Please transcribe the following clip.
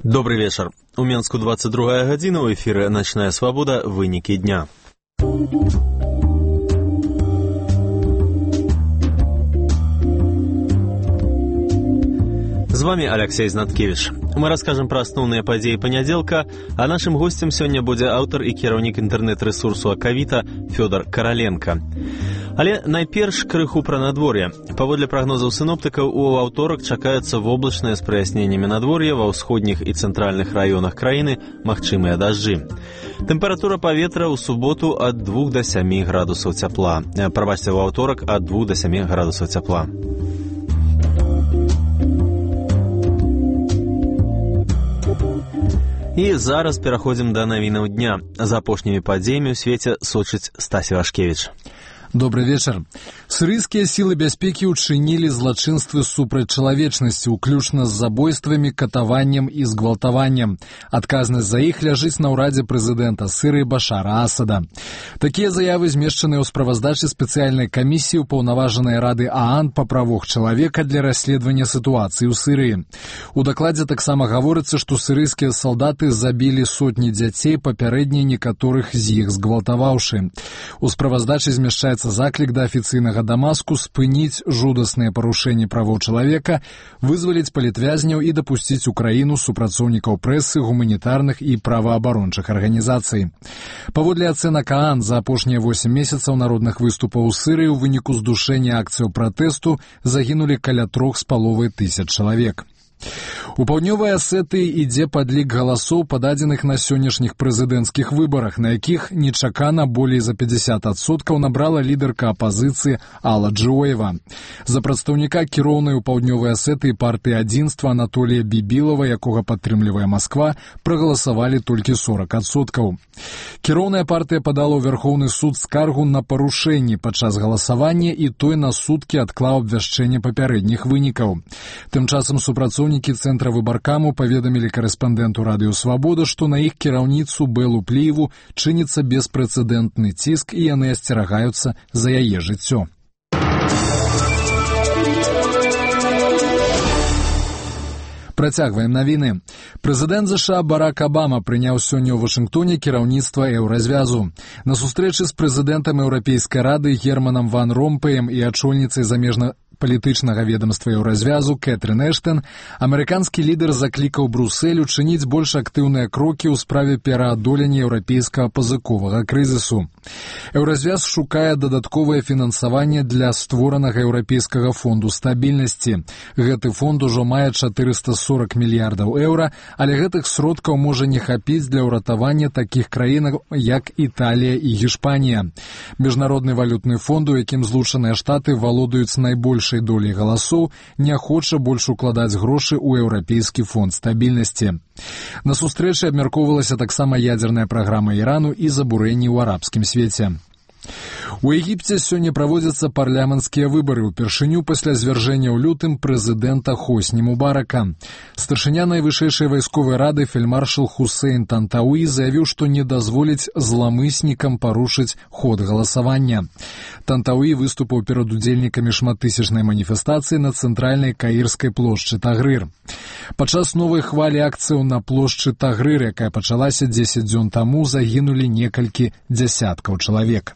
Добрый вечер. У Менску 22 гадзіна, у эфіры «Ночная свобода. Вынікі дня». З вами Алексей Знаткевич. Мы расскажем про основные подеи понеделка, а нашим гостем сегодня будет автор и кіраўнік интернет-ресурсу Акавіта Фёдор Короленко. Але найперш крыху пра надвор'е. Паводле прагнозаў синоптыкаў, у аўторак чакаецца воблачнае з праясненнямі надвор'я, ва ўсходніх і цэнтральных раёнах краіны магчымыя дажджы. Тэмпература паветра ў суботу ад 2 до 7 градусаў цяпла. Прабачце, у аўторак ад 2 до 7 градусаў цяпла. І зараз пераходзім да навінаў дня. За апошнімі падзеямі ў свеце сочыць Стась Івашкевіч. Добрый вечер. Сирийские силы бяспекі учинили злочинствы супраць чалавечнасці, уключна з забойствамі, катаваннем і згвалтаваннем. Адказнасць за іх ляжыць на ўрадзе прэзідэнта Сірыі Башара Асада. Такія заявы змешчаныя ў справаздачы спецыяльнай камісіі ўпаўнаважанай Рады ААН па правах чалавека для расследавання сітуацыі ў Сірыі. У дакладзе таксама гаворыцца, што сірыйскія салдаты забілі сотні дзяцей, папярэдне некаторых з іх згвалтаваўшы. У справаздачы змяшчаецца заклік да афіцыйнага Дамаску спыніць жудасныя парушэнні правоў чалавека, вызваліць палітвязняў і дапусціць у краіну супрацоўнікаў прэсы, гуманітарных і праваабарончых арганізацый. Паводле ацэнак ААН, за апошнія 8 месяцаў народных выступаў у Сірыі ў выніку здушэння акцыяў пратэсту загінулі каля 3,5 тысяч чалавек. У паўднёвай Асетыі ідзе падлік галасоў, пададзеных на сённяшніх прэзідэнцкіх выбарах, на якіх нечакана болей за 50% набрала лідарка апазіцыі Алла Джоева. За прадстаўніка кіроўнай у паўднёвай Асетыі партыі адзінства Анатолія Бібілава, якога падтрымлівае Масква, прагаласавалі толькі 40%. Кіроўная партыя падала ў Вярхоўны суд скаргу на парушэнні падчас галасавання, і той на суткі адклаў абвяшчэнне папярэдніх вынікаў. Тым часам супрацоўнікі цэнтра выбаркаму паведамілі карэспандэнту Радыё Свабода, што на іх кіраўніцу Беллу Пліеву чыніцца беспрэцэдэнтны ціск, і яны асцерагаюцца за яе жыццё. Працягваем навіны. Прэзідэнт ЗША Барак Абама прыняў сёння ў Вашынгтоне кіраўніцтва еўразвязу. На сустрэчы з прэзідэнтам Еўрапейскай рады Германам Ван Ромпеем і ачольніцай замежна-палітычнага ведомства еўразвязу Кэтрын Эштэн амерыканскі лідар заклікаў Брусэль учыніць больш актыўныя крокі ў справе пераадолення еўрапейскага пазыковага крызісу. Еўразвяз шукае дадатковае фінансаванне для створанага еўрапейскага фонду стабільнасці. Гэты фонд ужо мае 440 мільярдаў еўра, але гэтых сродкаў можа не хапіць для ўратавання такіх краін, як Італія і Гішпанія. Міжнародны валютны фонд, у якім Злучаныя Штаты валодаюць найбольшай долей галасоў, не хоча больш укладаць грошы ў еўрапейскі фонд стабільнасці. На сустрэчы абмяркоўвалася таксама ядзерная праграма Ірану і забурэнні ў арабскім свеце. У Егіпце сёння праводзяцца парламенцкія выбары, упершыню пасля звяржэння ў лютым прэзідэнта Хосні Мубарака. Старшыня найвышэйшай вайсковай рады фельдмаршал Хусейн Тантауі заявіў, што не дазволіць зламыснікам парушыць ход галасавання. Тантауі выступаў перад удзельнікамі шматтысячнай маніфестацыі на цэнтральнай каірскай плошчы Тагрыр. Падчас новай хвалі акцыяў на плошчы Тагрыр, якая пачалася 10 дзён таму, загінулі некалькі дзясяткаў чалавек.